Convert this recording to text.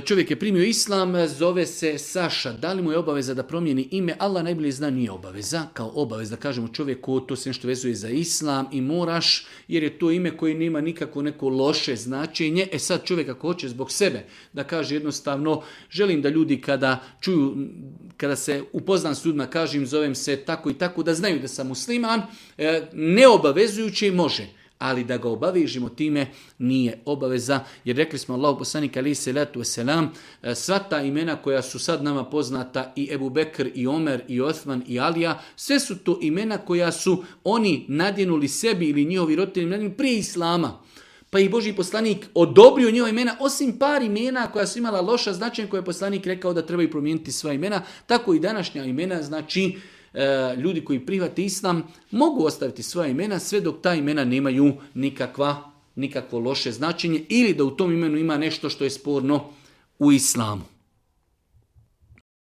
čovjek je primio islam, zove se Saša. Da li mu je obaveza da promijeni ime? Allah najbolje zna, nije obaveza. Kao obaveza da kažemo čovjeku, to se nešto vezuje za islam i moraš, jer je to ime koje nema nikako neko loše značenje. Sad čovjek ako hoće zbog sebe da kaže jednostavno, želim da ljudi kada čuju, kada se upoznam s ljudima, kažem zovem se tako i tako, da znaju da sam musliman, neobavezujući može. Ali da ga obavežimo time nije obaveza, jer rekli smo Allahu poslanik alejhi selatu vesselam, sva ta imena koja su sad nama poznata, i Ebu Bekr, i Omer, i Osman, i Alija, sve su to imena koja su oni nadjenuli sebi ili njihovi roditelji nadjenuli prije islama. Pa i Božji poslanik odobrio njihova imena, osim par imena koja su imala loša značenja, koje je poslanik rekao da trebaju promijeniti sva imena, tako i današnja imena, znači ljudi koji prihvate islam mogu ostaviti svoja imena sve dok ta imena nemaju nikakvo loše značenje ili da u tom imenu ima nešto što je sporno u islamu.